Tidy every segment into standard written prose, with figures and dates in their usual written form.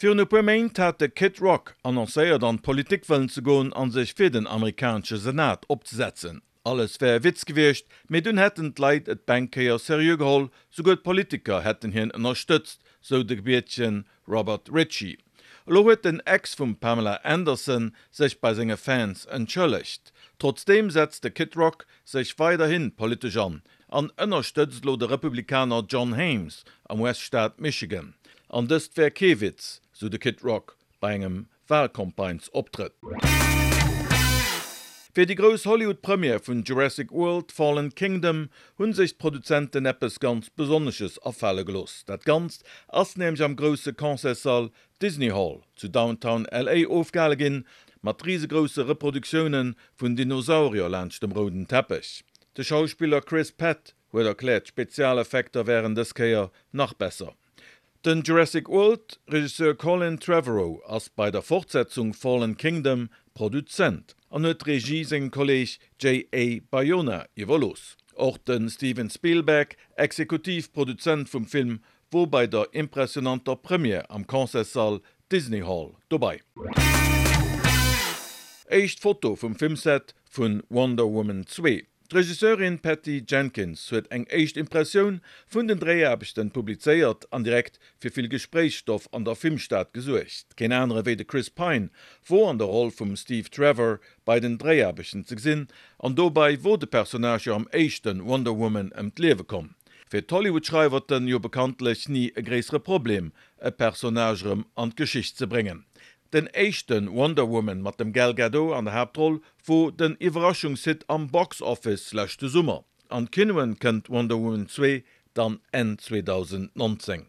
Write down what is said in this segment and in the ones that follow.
Virun e puer Méint hat de Kid Rock annoncéiert an d'Politik wëllen ze goen an sech fir den amerikanesche Senat opzesetzen. Alles wär e Witz gewiescht, mee dunn hätten d'Leit et beng Kéier seriö geholl, souguer d'Politiker hätten hien ënnerstëtzt, sou de gebiertege Robert Ritchie. Elo huet den Ex vum Pamela Anderson sech bei senge Fans entschëllegt. Trotzdeem setzt de Kid Rock sech weiderhi politesch an an ënnerstëtzt elo de Republikaner John Hames am US-Staat Michigan. An dëst wär kee Witz, sou de Kid Rock bei engem Walcampagnesoptrëtt. Fir déi grouss Hollywood-Première vun Jurassic World, Fallen Kingdom hu sech d'Produzenten eppes ganz Besonnesches afale gelooss. Dat Ganzt ass nämlech am grousse Concertssall Disney Hall zu Downtown LA ofgehale ginn, mat risegrousse Reproduktioune vun Dinosaurier laanscht dem rouden Teppech. De Schauspiller Chris Pratt huet erkläert, d'Spezialeffekter wären dës Kéier nach besser. Den Jurassic World Regisseur Colin Trevorrow ass bei der Fortsetzung Fallen Kingdom Produzent an huet d'Regie sengem Kolleeg JA. Bayona iwwerlooss. Och de Steven Spielberg, Exekutiv Produzent vum Film, wor bei der impressionanter Première am Concertssall Disney Hall dobei. Éischt Foto vum Filmset vun Wonder Woman 2. D'Regisseurin Patty Jenkins huet eng éischt Impressioun vun den Dréiaarbechten publizéiert an direkt fir vill Gespréichsstoff an der Filmstad gesuergt. Keen anere wéi de Chris Pine wor an der Roll vum Steve Trevor bei den Dréiaarbechten ze gesinn an dobei wor de Personnage jo am éischte Wonder Woman ëm d'Liewe komm. Fir d'Hollywood-Schreiwerten jo bekanntlech ni e gréissere Problem e Personnage erëm an d'Geschicht ze bréngen. Den éischte Wonder Woman mat dem Gal Gadot an der Haaptroll wor den Iwwerraschungshit am Box Office leschte Summer. An d'Kinoen kënnt Wonder Woman 2 dann Enn 2019.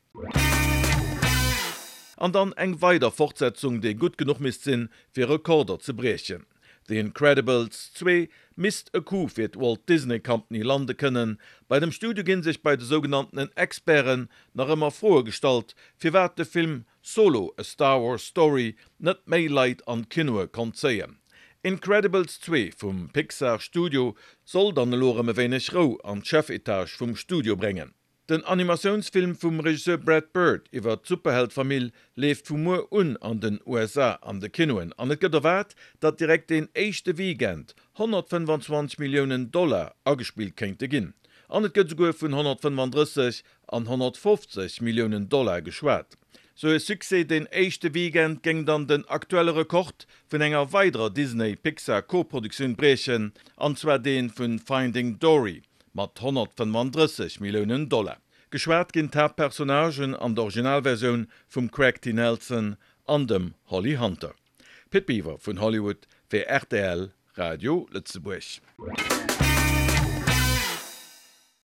An dann eng weider Fortsetzung déi gutt genuch misst sinn fir Rekorder ze briechen. The Incredibles 2 misst e Coup fir d'Walt Disney Company lande kënnen. Bei dem Studio ginn sech bei de sougenanntenen Experten nach ëmmer Froe gestallt firwat de Film Solo, A Star Wars Story net méi Leit an d'Kinoe konnt zéien. Incredibles 2 vum Pixar Studio soll dann elo erëm e wéineg Rou an d'Chefetage vum Studio bréngen. Den Animatiounsfilm vum Regisseur Brad Bird iwwer d'Superheld-Famill leeft vu muer un an den USA an de Kinoen an et gëtt erwaart, datt direkt deen éischte Weekend 125 Milliounen Dollar agespillt kéinte ginn an et gëtt esouguer vun 135 an 150 Milliounen Dollar geschwat. Sou e Succès deen éischte Weekend géing dann den aktuelle Rekord vun enger weiderer Disney-Pixar Co-Produktioun briechen, an zwar dee vu Finding Dory mat 135 Milliounen Dollar. Geschwat ginn d'Haaptpersonnagen an der Originalversioun vum Craig T. Nelson an dem Holly Hunter. Pit Biwer vun Hollywood fir rtl Radio Lëtzebuerg.